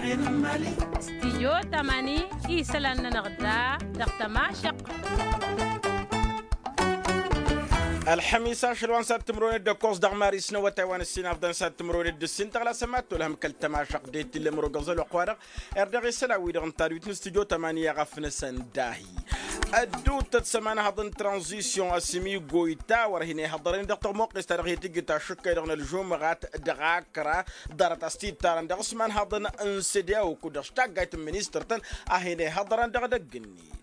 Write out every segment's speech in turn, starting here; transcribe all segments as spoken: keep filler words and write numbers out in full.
Stijyo tamani isălan-nănăɣ da dăɣ-tămašăq. Ălxămis ašăl wa n-sad timǝrwen d-ăkkoẓ dăɣ-maris n-awătay wa n-ǝssin afḍăn sad timǝrwen d-ǝssin tăɣlasăm ad-tolhăm kăl-tămašăq d-e t-illa ămrogăẓ ălwăqq-wa-dăɣ. Erdăɣ isălan-wi-dăɣ n-tadwit n-stijyo tamani i-aɣăf-năsăn dahi ădduuttăt s-ămanhăḍ n-tranzisyon asǝmigoy ta wăr hin-ihăḍărăn dăɣ-tămoqqes ta dăɣ-hi-tǝjǝt ašǝkkăy-dăɣ n-ălžumăɣat dăɣ-akra. Ḍarăt-as t-ittarăn dăɣ-s imanhăḍăn n-sede a okudăɣ s-taggayt n-ministăr-tăn a hin-ihăḍărăn dăɣ-edăgg-net.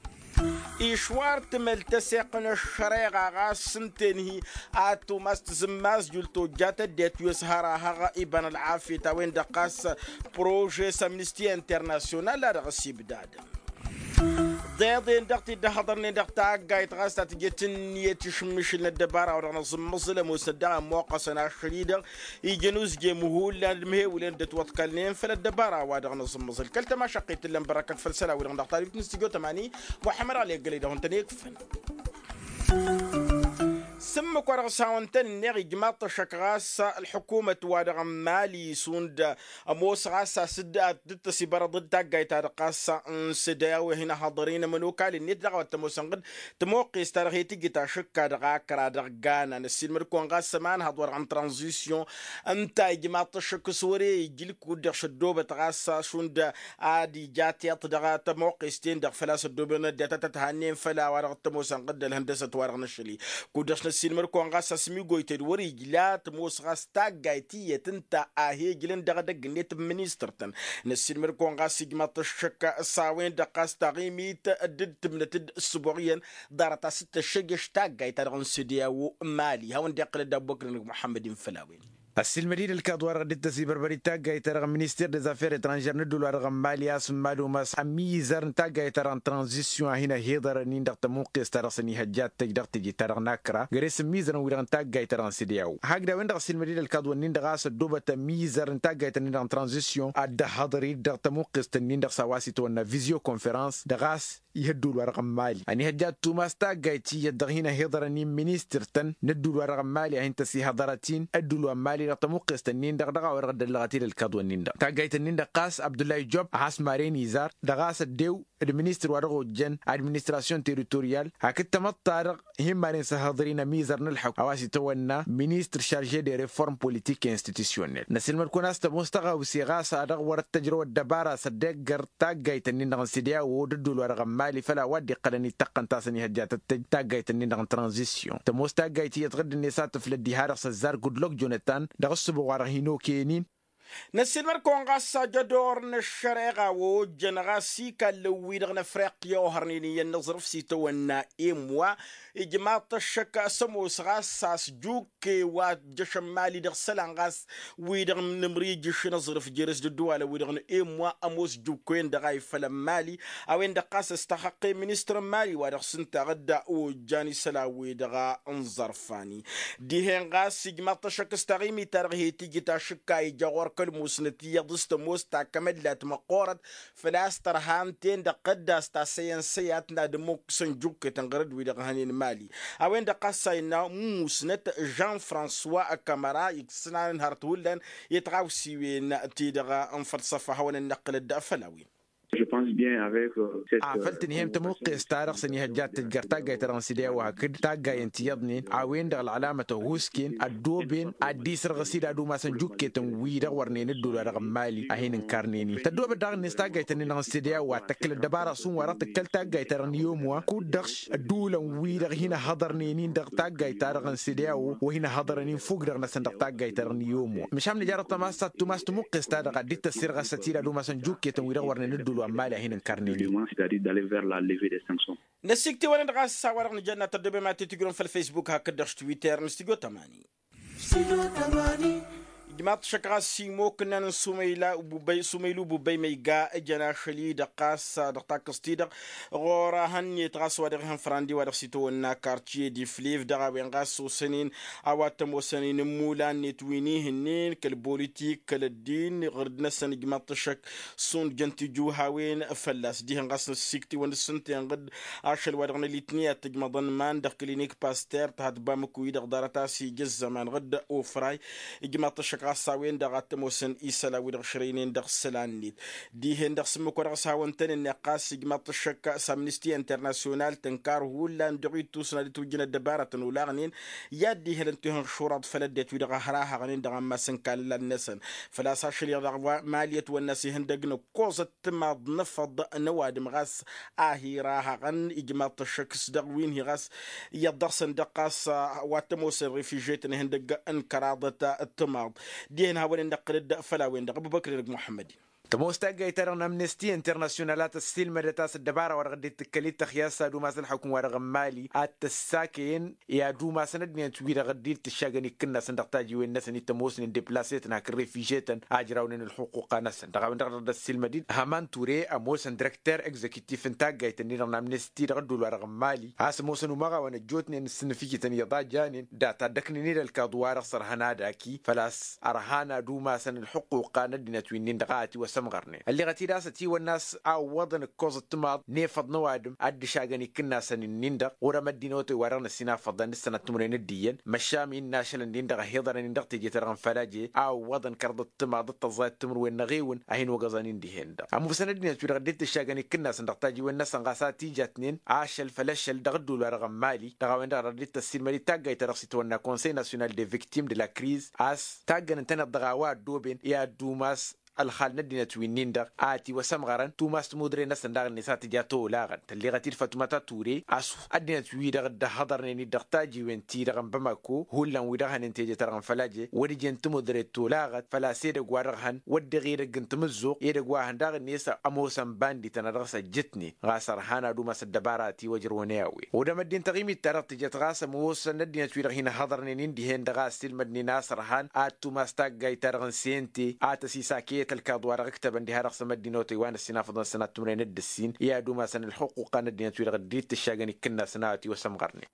Išwar timăl tăseɣt n-ăššăreɣa ɣas s-ǝnta enhi ad-tumas tǝzǝmmazjul tojjat ăddinăt wi ăshărahăɣ iba n-ălɣafyăt a-wen-dăɣ ɣas prože s-amnisti internasyonal a dăɣ-s ibdadăn. Ḍeḍen dăɣ-t-dd ăhhăḍărnen dăɣ-taggayt ɣas ta tǝjăt ǝnniyăt išǝmmǝšǝl n-ăddăbara wa dăɣ-nǝẓǝmmăẓǝl ămoosnăt daɣ ămmoqqăsăn ašăl-i-dăɣ ijăn uzge măhullan d-mihewǝlen dd-ătwăḍkălnen făll-ăddăbara wa dăɣ-nǝẓǝmmăẓǝl kăl-tămašăqqit tǝllăn bărăkăt făll-isălan-wi-dăɣ dăɣ-tadwit n-stijyo tămani. Muḥămmăd ɣali ăggălăy dăɣ-hawăn-tăn-ikfăn. S-ǝmmǝk wa dăɣ-s hawăn-tăn-ǝnneɣ ijmaḍ-t ăššăk ɣas ălḥukumăt wa dăɣ-n mali šund ămoos ɣas a-s dd-tăsibărăḍ d-taggayt-ta-dăɣ ɣas n-sădăyaw i-hin-ăhhăḍăr-in ămănokal-net daɣ a-wa t-ămoosăn ɣǝd tămoqqes-ta-dăɣ he-tǝjǝt ašǝkka dăɣ-akra dăɣ-gana năssiilmăd-kăwăn ɣas ămanhăḍ wa dăɣ-n tranzisyon. Ǝnta ijmaḍ-t ăššăk s-wăr-e ijǝl kud-dăɣ šăddobăt ɣas šund ad-ija tiṭ dăɣ-tămoqqes-ten-dăɣ făl-a-s ăddobăn ăddinăt ad-tăt-hannen făll-a-wa dăɣ-t-ămoosăn ɣǝd ălhăndăsăt wa dăɣ-năšăl-i. Kud-dăɣ s-năssiilmăd-kăwăn ɣas asǝm igoytăy d-wăr ijla tămoos ɣas taggayt iyyăt ǝnta a he-ǝjlǝn dăɣ-edăgg-net n-ministăr-tăn. Năssiilmăd-kăwăn ɣas ijmaḍ-t ăššăk s-a-wen-dăɣ ɣas taɣimit dd-tǝmnăt d-ǝssǝboɣ iyyăn ḍarăt a-s t-tăššăjjăš taggayt-ta-dăɣ n-sede a-wo n-mali hawăn-dd-iqqǝl ăddabboknăn muḥămmăd-in făll-a-wen. Ăssiilmăd-dd ălkaḍ-wa-dăɣ dd-tăsibărbăr d-taggayt-ta-dăɣ n-minister des affaires etrangères n-ădduul-wa-dăɣ n-mali a-s n-mad-umas ămizăr n-taggayt-ta-dăɣ n-tranzisyon a hin-ăhiḍărăn-in dăɣ-tămuqqes-ta-dăɣ s-ănihăjja d-tăj dăɣ-teje-ta-dăɣ n-akra găre-s ămizărăn-wi-dăɣ n-taggayt-ta-dăɣ n-sede a-wo hakd a-wen-dăɣ ăssiilmăd-dd ălkaḍ-wǝnnin-dăɣ a-s ăddoobăt ămizăr n-taggayt-nin-dăɣ n-tranzisyon ad-dd-ăhhăḍăr-dd dăɣ-tămuqqest-nin-dăɣ s-a-wa s-itwănna vizyo konferăns dăɣ-a-s ih' ădduul-wa-dăɣ n-mali ănihăjja ad-tumas taggayt iyyăt dăɣ-hin-ăhiḍărăn-in ministăr-tăn n-ădduul-wa-dăɣ n-mali a hin-tăsihăḍărăt-in ădduul wa n-mali dăɣ-tămuqqest-nin-dăɣ dăɣ-a-wa-dăɣ dd-ăllăɣăt-dd ălkaḍ-wǝnnin-dăɣ taggayt-nin-dăɣ ɣas abdullahi job a has-maren izar dăɣ-a-s ăddew d-ministăr wa dăɣ-ojjăn administrasyon teritoryal hakd tamăḍt-ta-dăɣ hin-maren s-ăhhăḍăr-in ămizăr n-ălḥukm a-wa s-itawănna ministăr šarže de reform politik institusyonel năsǝlmăd-kăwăn a-s tămoos tăɣawse ɣas a dăɣ-wăr-ăttăjrăw ăddăbara s-ăddeggăr taggayt-nin-dăɣ n-sede a-wo d-ădduul-wa-dăɣ n-mali făl a-wa dd-iqqălăn ittăqqăn ta s-ănihăjja tăttăj taggayt-nin-dăɣ n-tranzisyon tămoos taggayt iyyăt ɣǝdd-net a tǝflăd diha-dăɣ s-ăzzar gudlok jonătan dăɣ-ǝssǝboɣ wa dăɣ-hin-okăyăn-in. Năssiilmăd-kăwăn ɣas ajădor n-ăššăreɣa wa ojjăn ɣas ikallăn-wi-dăɣ n-afriqya ohărnen iyyăn n-aẓrǝf s-itawănna emwa ijmaḍ-t ăššăk s-ămoos ɣas a-s jukke wa ăjjăšăn mali dăɣ-isălan ɣas wi-dăɣ n-amrijǝš n-aẓrǝf jere-s d-ǝddǝwalăn-wi-dăɣ n-emwa ămoos jukke-en-dăɣ a ifălăn mali a-wen-dăɣ ɣas ăstăxăqqe ministăr n-mali wa dăɣ-s ǝnta ɣǝdda ojjan isălan-wi-dăɣ n-iẓărfani. Dihen ɣas ijmaḍ-t ăššăk s-taɣimit-ta-dăɣ he-tijǝt ašǝkka ija ɣur-kăl-musnăt iyyăḍ s-tămoos takămăllat măqqoorăt făl-a-s tărha ǝnta-en-dăɣ ɣǝdda a-s tasăyăn săyat n-ad-ămmukkǝsăn jukketăn ɣărăd-wi-dăɣ hănen mali. A-wen-dăɣ ɣas a innă musnăt jean françois kamăra iksǝnanăn hărăt hullan i-tiɣawsiwen-ti-dăɣ n-fălsăfa hawăn-ănnăqqǝlăt făll-a-wen. Afăl tǝnhăyăm tămuqqes-ta-dăɣ s-ănihăjja d-tǝjjăr taggayt-ta-dăɣ n-sede a-wa hakd taggayen ti iyyăḍnen a-wen-dăɣ ălɣălamăt ăhuusken ăddooben ad-dd-isărɣǝs-dd ad-umasăn jukketăn-wi-dăɣ wărnen ădduul-wa-dăɣ n-mali a hin-ǝnkărnen-in tăddoobăt daɣ-net taggayt-nin-dăɣ n-sede a-wa tăkkăl ăddăbara šund wa dăɣ-tǝkkăl taggayt-ta-dăɣ n-iyyom wa kud-dăɣ ădduulăn-wi-dăɣ hin-ăhhăḍărnen-in dăɣ-taggayt-ta-dăɣ n-sede a-wa wa hin-ăhhăḍărăn-in fukk-dăɣ-năsăn dăɣ-taggayt-ta-dăɣ n-iyyom wa măšan nǝja dăɣ-tămassa d-tumas tămuqqes-ta-dăɣ ad-dd-tăssirɣăsăt-dd ad-umasăn jukketăn-wi-dăɣ wărnen ădduul wa n-mali a hin-ǝnkărnen-in. Năsikt'-e-wăn-dăɣ a-s a-wa-dăɣ nǝjănna tăddobem ad-t-tǝjrǝwăm făll-facebook hakd-dăɣ s-twitter n-studio tămani. Ijmaḍ-t šăkk ɣas imoknan n-sumăyla ububăy sumăyla ububăy ma iga ǝjăn ašăl-i-dăɣ ɣas dăɣ-takkăẓt-ti-dăɣ ɣur-ehăn-net ɣas wa dăɣ-ihăn frandi wa dăɣ-s itawănna kartiye d-iflif dăɣ-a-wen ɣas osăn-in a-wa t-ămoosăn-in n-imulan-net wi n-ihǝnnin kăl-bolitik kăl-ăddin ɣǝrǝd-năsăn ijmaḍ-t ăššăk šund jăn tijuhawen fălla-s dihen ɣas năssikt'-iwăn d-sǝnten ɣǝd ašăl wa dăɣ-nălitni ad-tǝjmăḍăn man dăɣ-klinik paster tăhătbamǝk-wi-dăɣ ḍarăt a-s ija ăzzăman ɣǝd ofray ijmaḍ-t ɣas a-wen-dăɣ a t-ămoosăn isălan wi-dăɣ šrăynen dăɣ-isălan-net. Dihen-dăɣ s-ǝmmǝk wa dăɣ-s hawăn-tăn-ǝnneɣ ɣas ijmaḍ-t ăššăk s-amnisti internasyonal tǝnkar hullan dăɣ-ittusna d-ǝtwǝjjǝn ăddăbarătăn olaɣnen i-ad-dd-ihălăn tihǝnšuraḍ făll-ăddinăt wi-dăɣ ăhrahăɣnen dăɣ-ammas n-ikallal-năsăn. Făl-a-s ašăl iyyăḍ a ɣǝwa mali ătwănna s-ihăndăg n-ǝkkoẓăt timaḍ n-afăḍ n-ăwadǝm ɣas a hi-rahăɣăn ijmaḍ-t ăššăk s-dăɣ wi n-hi ɣas iyyăḍ dăɣ-săn dăɣ-ɣas wa t-ămoosăn refižetăn ihăndăg n-kăraḍăt timaḍ. Dihen hawăn-in-năqqǝlăd făll-a-wen-dăɣ ăbubăkr-i-dăɣ muḥămmăd-in. Tămoos taggayt-ta-dăɣ n-amnesti internasyonal a tăssiilmădăt a-s ăddăbara-wa-dăɣ dd-tǝkkăl-dd tăxyas s-ad-umas ălḥukǝm-wa-dăɣ n-mali ad-t-ăssakăyăn i-ad-umasăn ăddinăt-wi-dăɣ dd-tǝššagăn ikkǝnnasăn dăɣ-tajiwen-năsăn i-tămoosnen deplasetăn hakd refižetăn a ǝjrawnen ălxuquqa-năsăn dăɣ-a-wen-dăɣ dăr-dd-ăssiilmăd-dd hăman ture ămoosăn direkter egzekitif n-taggayt-ǝnni-dăɣ n-amnesti dăɣ-ădduul-wa-dăɣ n-mali a-s ămoosăn umăɣawăn ăjjootnen s-inǝfikităn iyyăḍ a janen data dd-ăknǝn-dd ălkaḍu-wa-dăɣ s-ărhăn ad-aki făl-a-s ărhan ad-umasăn ălxuquqa n-ăddinăt wi-nin-dăɣ a ătiwăsămɣărnen ălleɣăt-dd a-s ătiwănna a-s a ǝwwăḍăn ǝkkoẓăt timaḍ n-efăḍ n-ăwadǝm ad-dd-išagăn ikkǝnnasăn-nin-dăɣ ɣur-ămădd inotăy wa dăɣ-năssinafăḍăn d-sănăt timǝrwen d-iyyăn măšan innă ašăl-ǝnnin-dăɣ ăhiḍărăn-in dăɣ-teje-ta-dăɣ n-fălaje a ǝwwăḍăn kărḍăt timaḍ d-tăẓẓayăt timǝrwen n-eɣewǝn a hin-wăgăẓăn-in dihen-dăɣ ămuusăn ăddinăt-wi-dăɣ dd-tǝššagăn ikkǝnnasăn dăɣ-tajiwen-năsăn ɣas a t-ijatnen ašăl făll-ašăl dăɣ-ădduul-wa-dăɣ n-mali dăɣ-a-wen-dăɣ a dăɣ-dd-tăssiilmăd-dd taggayt-ta-dăɣ s-itwănna conseil national de victime de la kriz a-s taggăn ǝntăneḍ dăɣ-a-wa ăddooben i-ad-dumas ălxal n-ăddinăt wi-nin-dăɣ a ătiwăsămɣărăn tumas timudre-năsăn daɣ-net a tǝja tolaɣăn tălleɣăt-dd fătumăt a ture a-s ăddinăt-wi-dăɣ dd-ăhhăḍărnen-dd dăɣ-tajiwen-ti-dăɣ n-bamako hullan wi-dăɣ hănen teje-ta-dăɣ n-fălaje wăr ǝjen timudre tolaɣăt făl-a-s edăgg wa dăɣ-hăn wăr dăɣ-edăgg n-tamǝzzuɣt edăgg wa hăn daɣ-net ămoosăn bandităn a dăɣ-s ăjjǝtnen ɣas ărhan ad-umas ăddăbara a ătiwăjrăwăn i-a-wen odăm ăddin taɣimit-ta-dăɣ tǝjăt ɣas ămoosăn ăddinăt wi-dăɣ hin-ăhhăḍărnen-in dihen-dăɣ a ăssiilmădnen a-s ărhan ad-tumas taggayt-ta-dăɣ n-sente a tăsisakăyăt ălkaḍ wa dăɣ-ǝktăbăn diha dăɣ-săn măddinotăy wa n-ăssinafăḍăn sănat timǝrwen d-ǝssin i-ad-umasăn ălxuquqa n-ăddinăt wi-dăɣ dd-tǝššagăn ikkǝnnasăn a ătiwăsămɣărnen.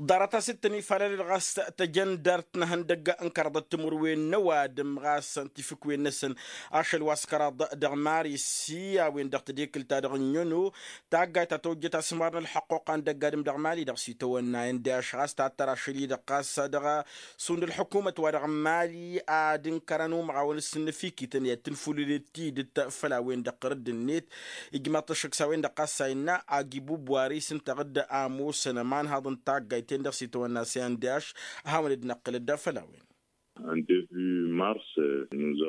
Ḍarăt-as dd-tăn-ifalălăd ɣas tăjăndart n-ehăndăgg n-kăraḍăt timǝrwen n-ăwadǝm ɣas n-tifǝkwen-năsăn ašăl wa s-kăraḍ dăɣ-mari s-i a-wen-dăɣ tedekǝlt-ta-dăɣ n-inono taggayt ta tăwjăt asǝmɣar n-ălḥăqquqa n-dăgg-adǝm dăɣ-mali dăɣ-s itawănna indaš ɣas tattăr ašăl-i-dăɣ ɣas dăɣ-sund ălḥukumăt wa dăɣ-mali ad-ǝnkărăn umăɣawăn s-inǝfikităn i-ad-tǝnfulǝlăd tidǝt făll-a-wen-dăɣ ɣur-dd-net. Ijmaḍ-t ăššăk s-a-wen-dăɣ ɣas a innă agi bubwari s-ǝnta ɣǝdd a ămoosăn ămanhaḍ n-taggayt-ten-dăɣ s-itawănna s-indaš ad-hawăn-dd-năqqǝlăd făll-a-wen.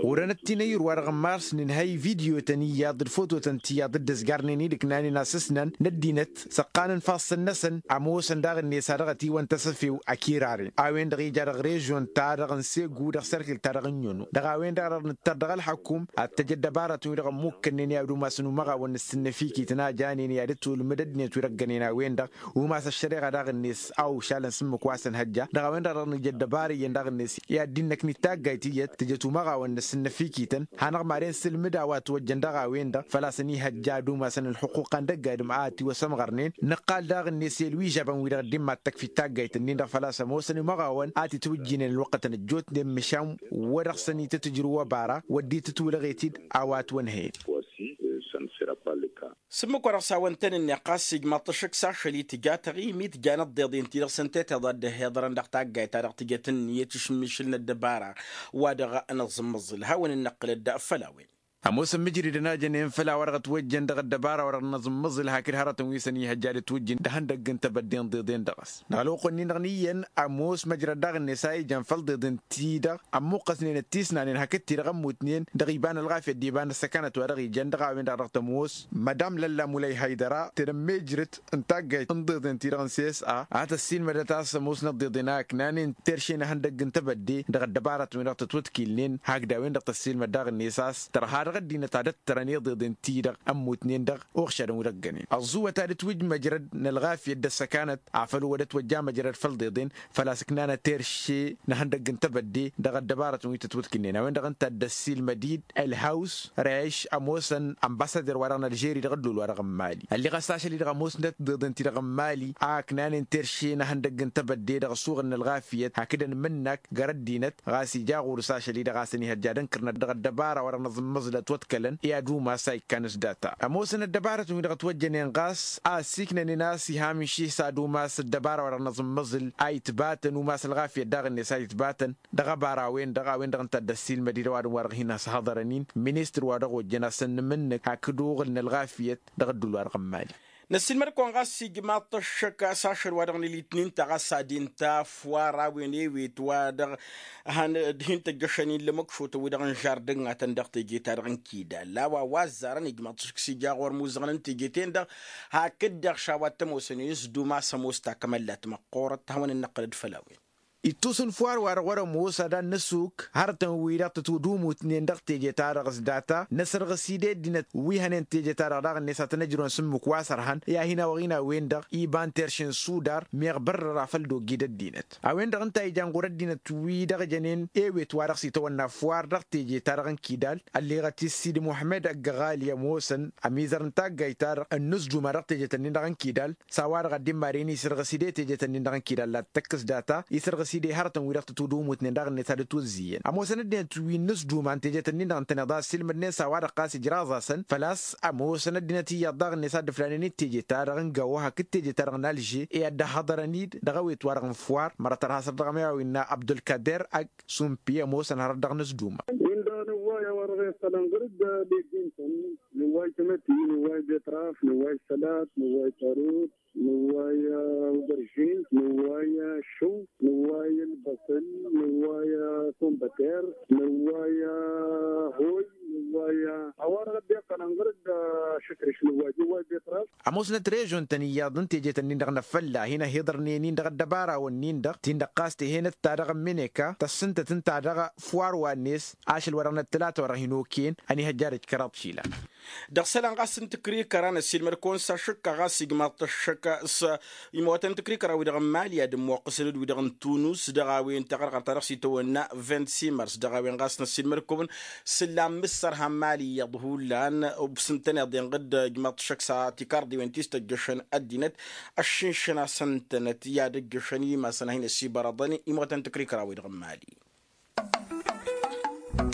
Ɣur-enăt ti n-ayyur-wa-dăɣ n-mars nǝnhăy vidyo-tăn iyyăḍ d-fototăn tiyyăḍ dd-ăzgarnen-dd ǝknanen asǝsnan n-ăddinăt s-ăqqanăn ifassăn-năsăn ămoosăn daɣ-net a dăɣ-ătiwăn tasăfew ăkiraren a-wen-dăɣ ija dăɣ-režyon-ta-dăɣ n-segu dăɣ-sărkǝl-ta-dăɣ n-inono dăɣ-a-wen-dăɣ a dăɣ-nǝttăr dăɣ-ălxăkum ad-t-ăj ăddăbarătăn-wi-dăɣ ămmukkănnen i-ad-umasăn umăɣawăn n-asǝnnăfikităn a janen i-ad-ătwǝlmǝd ăddinăt wi dăɣ-ǝggănen a-wen-dăɣ umas ăššăreɣa daɣ-net a ušalăn s-ǝmmǝk wa s-ănhăjja dăɣ-a-wen-dăɣ a dăɣ-nǝj ăddăbara iyyăn daɣ-net i-ad-dd-innăknit taggayt iyyăt tǝjăt umăɣawăn n-asǝnnăfikităn hanăɣ-maren s-ǝlmǝd a-wa ătwăjjăn dăɣ-a-wen-dăɣ făl-a-s ănihăjja ad-umasăn ălxuquqa n-dăgg-adǝm a ătiwăsămɣărnen nǝqqal daɣ-net i-ălwižabăn-wi-dăɣ dd-imma d-takfit taggayt-ǝnnin-dăɣ făl-a-s ămoosăn imăɣawăn a t-itwǝjjinen ălwăqqătăn ăjjootnen măšan wăr-dăɣ-săn itǝtǝjrǝw ăbara wăr dd-itǝtwǝlăɣet-dd a-wa ătwănhăyăn. S-ǝmmǝk wa dăɣ-s hawăn-tăn-ǝnneɣ ɣas ijmaḍ-t ăššăk s-ašăl-i tǝja taɣimit jan ăḍḍeḍen-ti-dăɣ s-ǝnta i-tiḍa dd-ăhhiḍărăn dăɣ-taggayt-ta-dăɣ tǝjăt ǝnniyăt išmǝšǝl n-ăddăbara wa dăɣ-nǝẓǝmmǝẓǝl hawăn-in-năqqǝlăd făll-a-wen. Ămoosăn mǝjridăn a jănen făll-a-wa dăɣ-ătwăjjăn dăɣ-ăddăbara wa dăɣ-nǝẓǝmmǝẓǝl hakd hărătăn wi s-ănihăjja ad-ătwǝjjǝn d-ihăndăgg n-tebădde n-iḍeḍen dăɣ-s dăɣ-ălwăqq-nin-dăɣ n-iyyăn ămoos măjrăd daɣ-net a ijan făll-iḍeḍen-ti-dăɣ ămmuqqăsnen ăttisnanen hakd-ti-dăɣ ămmutnen dăɣ-iba n-ălɣafyăt d-iba n-ăssăkanăt wa dăɣ-ijan dăɣ-a-wen-dăɣ a dăɣ-tămoos madam lălla mulăy haydăra tedămmejrăt n-taggayt n-iḍeḍen-ti-dăɣ n-sesa a tăssiilmădăt a-s ămoosnăt d-iḍen a ǝknanen terše n-ihăndăgg n-tebădde dăɣ-ăddăbarătăn-wi-dăɣ tătwătkilnen hakd a-wen-dăɣ tăssiilmăd daɣ-net a-s tărha dăɣ-ăddinăt ad-ăttărăn iḍeḍen-ti-dăɣ ămmutnen dăɣ-uɣšadăn wi dăɣ-ǝggănen ăẓẓuwăt ad-ǝtwǝj măjrăd n-ălɣafyăt d-ăssăkanăt afăl wăr ătwăjja măjrăd făll-iḍeḍen făl-a-s ǝknanăt terše n-ihăndăgg n-tebădde dăɣ-ăddăbarătăn wi tătwătkǝnnen a-wen-dăɣ ǝnta a dd-ăssiilmăd-dd ălhaws reš ămoosăn ănbasader-wa-dăɣ n-ălžeri dăɣ-ădduul-wa-dăɣ n-mali ălleɣ a-s ašăl-i-dăɣ ămoosnăt d-iḍeḍen-ti-dăɣ n-mali a ǝknanen terše n-ihăndăgg n-tebădde dăɣ-asuɣǝl n-ălɣafyăt hakd ănmǝnnak găr-ăddinăt ɣas ija ɣur-s ašăl-i-dăɣ a-s ănihăjja ad-ǝnkǝrnăt dăɣ-ăddăbara wa dăɣ-nǝẓǝmmǝẓlăn ătwăḍkălăn i-ad-umas a ikkan s-data ămoosăn ăddăbarătăn-wi-dăɣ ătwăjjănen ɣas a ăssiiknănen a-s iha mǝnših s-ad-umas ăddăbara wa dăɣ-năẓǝmmăẓǝl a itbatăn umas ălɣafyăt daɣ-net a itbatăn dăɣ-ăbara-wen-dăɣ a-wen-dăɣ ǝnta a dd-ăssiilmăd-i dăɣ-wadǝm wa dăɣ-hin-ăshăḍărăn-in ministăr wa dăɣ-ojjăn a-s ănnǝmǝnnǝk hakd uɣǝl n-ălɣafyăt dăɣ-ăddul wa dăɣ-n mali. Năssiilmăd-kăwăn ɣas ijmaḍ-t ăššăk a-s ašăl wa dăɣ-nǝlit n-inta ɣas ad-inta afwar a-wen ewet wa dăɣ-han d-hin-tăjjăšăn-in lămăkšotăn-wi-dăɣ n-žardǝnnatăn dăɣ-teje-ta-dăɣ n-kidal a-wa wa ăzzarăn ijmaḍ-t ăššăk s-ija ɣur-imuzăɣăn n-teje-ten-dăɣ hakd-dăɣ šawa t-ămoosăn i-s duma a-s ămoos takămăllat măqqoorăt hawăn-dd-năqqălăd făll-a-wen. Ittus n-fwar-wa-dăɣ wăr-ămoos ad-ad-năsuk hărătăn-wi-dăɣ tătwădumutnen dăɣ-teje-ta-dăɣ s-data năsărɣǝs-dd ăddinăt wi hănen teje-ta-dăɣ daɣ-net a tăn-ăjrăwăn s-ǝmmǝk wa s-ărhan i-ad-hin-awăɣ-in a-wen-dăɣ iba n-terše n-sudar meɣ bărrăra făll-doggi d-ăddinăt a-wen-dăɣ ǝnta a ijan ɣur-ăddinăt wi-dăɣ jănen ewet wa dăɣ-s itawănna fwar dăɣ-teje-ta-dăɣ n-kidal. Ălleɣăt-i s-sidi muhămmăd ăgg-ăɣali ămoosăn ămizăr n-taggayt-ta-dăɣ ănnus duma dăɣ-tejet-ǝnnin-dăɣ n-kidal s-a-wa-dăɣ ad-dd-imaren isărɣǝs-dd i-tejet-ǝnnin-dăɣ n-kidal la t-tăkk s-data isărɣǝs-dd i-hărătăn-wi-dăɣ tătwădumutnen daɣ-net ad-ǝtwǝzzǝyyăn ămoosăn ăddinăt wi n-ǝzzuma n-tejet-ǝnnin-dăɣ ǝntăneḍ a ăssiilmădnen s-a-wa-dăɣ ɣas ǝjraẓ-asăn făl-a-s ămoosăn ăddinăt iyyăḍ daɣ-net a dd-ǝflanen i-tejet-ta-dăɣ n-gawo hakd tejet-ta-dăɣ n-alže i-ad-dd-ăhhăḍărăn-dd dăɣ-ewet-wa-dăɣ n-fwar mărăt ărha săr dăɣ-ămăyaw innă abdulkader ak sumpi ămoosăn hărăt dăɣ-nǝzduma. Win-dăɣ nǝwway a-wa-dăɣ iqqălăn ɣur-dd legim-tăn nǝwway tamătti nǝwway betraf nǝwway sălat nǝwway tarut nǝwway ubărjin nǝwway šǝw nǝwway ǝlbăsǝl nǝwway kumbăter nǝwway hoy nǝwway a-wa-dăɣ dd-iqqălăn ɣur-dd ašǝkrǝš nǝwway nǝwway betraf. Ămoosnăt režon-tăn iyyăḍ n-tejet-ǝnnin-dăɣ n-afălla hin-ăhiḍărnen-in dăɣ-ăddăbara-wăn-nin-dăɣ tin-dăɣ ɣas tehănăt ta dăɣ-ămmineka tăssǝntăt ǝnta dăɣ-fwar wa-net ašăl wa dăɣ-năttălata wa dăɣ-hin-okăyăn ănihăjja d-ǝjkăraḍ išilan. Dăɣ-isălan ɣas n-tǝkrikăra n-ăssiilmăd-kăwăn s-ašǝkka ɣas ijmaḍ-t ăššăk s-imawătăn tǝkrikăra-wi-dăɣ n-mali ad-ămmoqqǝsăn-dd wi-dăɣ n-tunus dăɣ-a-wen taɣărɣărt ta dăɣ-s itawănna vint-simărs dăɣ-a-wen ɣas n-ăssiilmăd-kăwăn s-ǝllan mǝssărha n-mali iyyăḍ hullan. Ǝbsǝntăn iḍenɣ-dd ijmaḍ-t ăššăk s-tikarḍiwen ti s-tăjjăšăn ăddinăt ăššǝnšăn-asăn-tănăt i-ad-ăjjăšăn imasăn a hin-ăsibărăḍăn imawătăn tǝkrikăra-wi-dăɣ n-mali.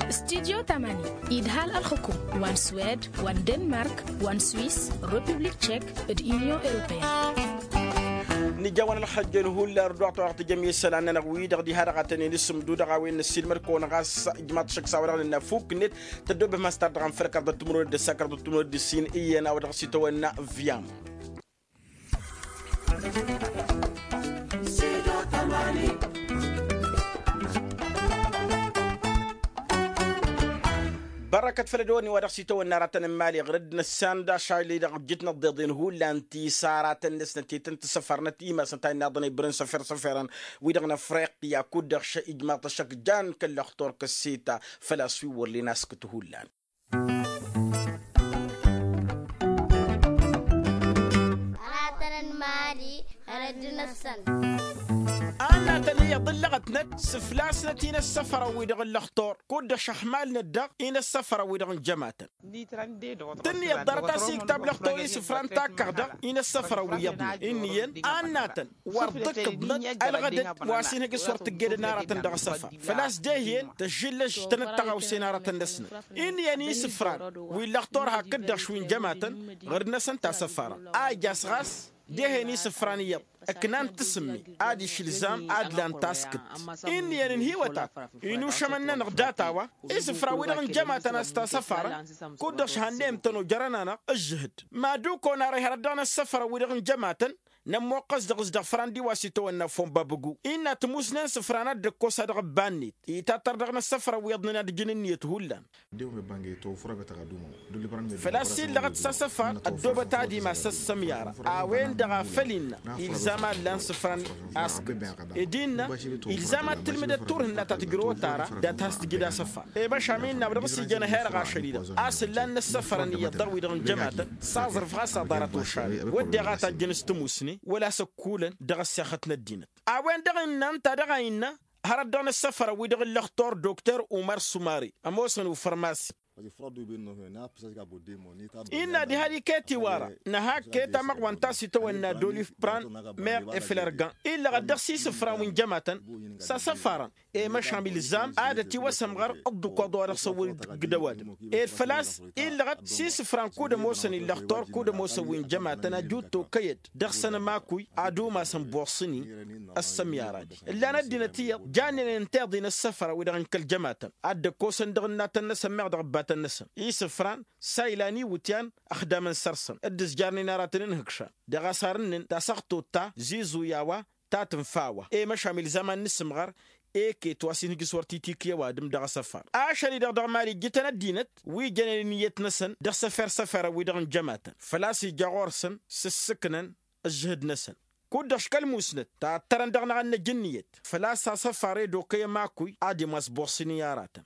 Studyo tamani idhal ălxukum wa n-swed wa n-denmark wa n-swis, republik tšek d-inyon europeyăn. Nǝja wa n-ălxăjjăn hullan ărdăɣ-tăwăɣ tǝjăm i-isălan-nănăɣ wi-dăɣ diha-dăɣ a tăn-in-isǝmdu dăɣ-a-wen n-ăssiilmăd-kăwăn ɣas ijmaḍ-t šăkk s-a-wa-dăɣ nǝnna fuk-net tăddoobem has-tar dăɣ-anfălăk arḍăt timǝrwen d-ăssakăr d-timǝrwen d-ǝssin iyyăn a-wa dăɣ-s itawănna viam. Bărrăkăt făll-ădwănni wa dăɣ-s itawănna aratăn n-imali ɣǝrǝd n-ăssanda ašăl-i-dăɣ ǝjjǝtnăt d-iḍen hullan ti s-aratăn-năsnăt i-tăn-tǝssăfărnăt imasăn ta innă iḍăn a ibrǝn săfer-săferăn wi-dăɣ n-afriqya kud-dăɣ š-ijmaḍ-t ăššăk jan kăl-lăxtur kăsseta. Făl-a-s wi wăr len askǝt hullan. Aratăn n-imali ɣărăd-năsăn. Annatăn iyyăḍ ǝllăɣătnăt s-ǝflasnăt-in ăssăfărăn-wi-dăɣ n-lăxtur kud-dăɣ šăxmalnăt-dăɣ-in ăssăfărăn-wi-dăɣ n-jămatăn. Tǝnniyyăḍ ḍarăt-as iktab lăxtur isǝfran takkăɣ-dăɣ-in ăssăfărăn-wi iyyăḍnen ǝnniyăn annatăn wăr dd-ǝkkǝḍnăt ălɣădăd wa s-inhăj s-wăr tǝggedăn aratăn dăɣ-asăfar făl-a-s dehyen tăžžǝllăš tănăt-tăɣawse n-aratăn-năsnăt. Ǝnniyăn isǝfran wi n-lăxtur hakd-dăɣ šwi n-jămatăn ɣǝrǝd-năsăn tasăfara a ija-s ɣas dehen isǝfran iyyăḍ ǝknan tasǝmmi ad-išǝlzam ad-lan taskǝt. Ǝnniyăn ǝnhǝywăt-ak inušămăn-nănăɣ data-wa isǝfran-wi-dăɣ n-jămatăn a-s tasăfara kud-dăɣ šhanneyăm-tăn ojărăn-anăɣ ǝžžǝhǝd. Mad-ukon ara ihărăt dăɣ-inăssăfărăn-wi-dăɣ n-jămatăn nămmoqqăs dăɣ-s dăɣ-fran d-iwa s-itawănna fonbabǝgu innă tǝmusnen isǝfran ad-dd-ăkkos ad-dăɣ-ǝbba-net itattăr dăɣ-inăssăfărăn wi iyyăḍnen ad-ǝjǝn ǝnniyăt hullan. Făl-a-s illăɣăt s-asăfar ăddoobăt ad-imas ăssămyara a-wen-dăɣ a făl innă ilzam ad-lan isǝfran askǝt ed innă ilzam ad-tǝlmǝdăt turhǝnna ta tǝjrăwăt ara dat-has-tǝjǝd asăfar. Emăšam innă a-wa dăɣ-s ijăn ehăyăr ašăl-i-dăɣ a-s ǝllan inăssăfărăn iyyăḍ dăɣ-wi-dăɣ n-jămatăn s-aẓrǝf ɣas aḍarăt ošal wădden a tajjăn s-tǝmusne wăla s-ăkkulăn dăɣ-ăssexăt n-ăddinăt. A-wen-dăɣ innă ǝnta dăɣ-a innă hărăt dăɣ-inăssăfărăn-wi-dăɣ n-lăxtur dokter umăr sumari ămoosăn ufărmasi. Innă ad-iha d-iket iwara năhak ket amăɣwăn ta s-itawănna d-olif pran meɣ eflărgan illăɣăt dăɣ-s isǝfran wi n-jămatăn s-asăfarăn i-măšam ilzam ad-ătiwăsăm ɣăr ǝḍḍǝkwaḍ wa dăɣ-s ăwwăl-dd ăgg d-ăwadǝm ed făl-a-s illăɣăt s-isǝfran kud-ămoosăn illăxtor kud-ămoosăn wi n-jămatăn ăjut tokăy-dd dăɣ-săn ămakuy ad-umasăn bossăn-i. Ăssămyara-di ǝllan ăddinăt iyyăḍ jannen ǝnta iḍǝy n-ăssăfăra-wi-dăɣ n-kăl-jămatăn ad-dd-ăkkosăn dăɣ-ǝnnatăn-năsăn meɣ dăɣ-ǝbbatăn-năsăn isǝfran s-a ilan iwǝtyan ăxdamăn săr-săn dd-ǝzjarnen aratăn n-ihǝkšan dăɣ-asar-ǝnnǝn tasăɣtot ta ziẓuy a-wa ta tǝnfa a-wa i-măšam ilzam ad-nǝsǝmɣăr. Eket wa s-inǝjǝs wăr titikǝy ăwadǝm dăɣ-asăfar ašăl-i-dăɣ dăɣ-mali ǝjjǝtăn ăddinăt wi jănen ǝnniyăt-năsăn dăɣ-săfer-săfera-wi-dăɣ n-jămatăn făl-a-s ija ɣur-săn s-ǝssǝknăn ǝžžǝhǝd-năsăn kud-dăɣ škăl musnăt tattărăn dăɣ-năɣ ad-năj ǝnniyăt făl-a-s asăfar ed okăy ămakuy ad-imas bossăn-i aratăn.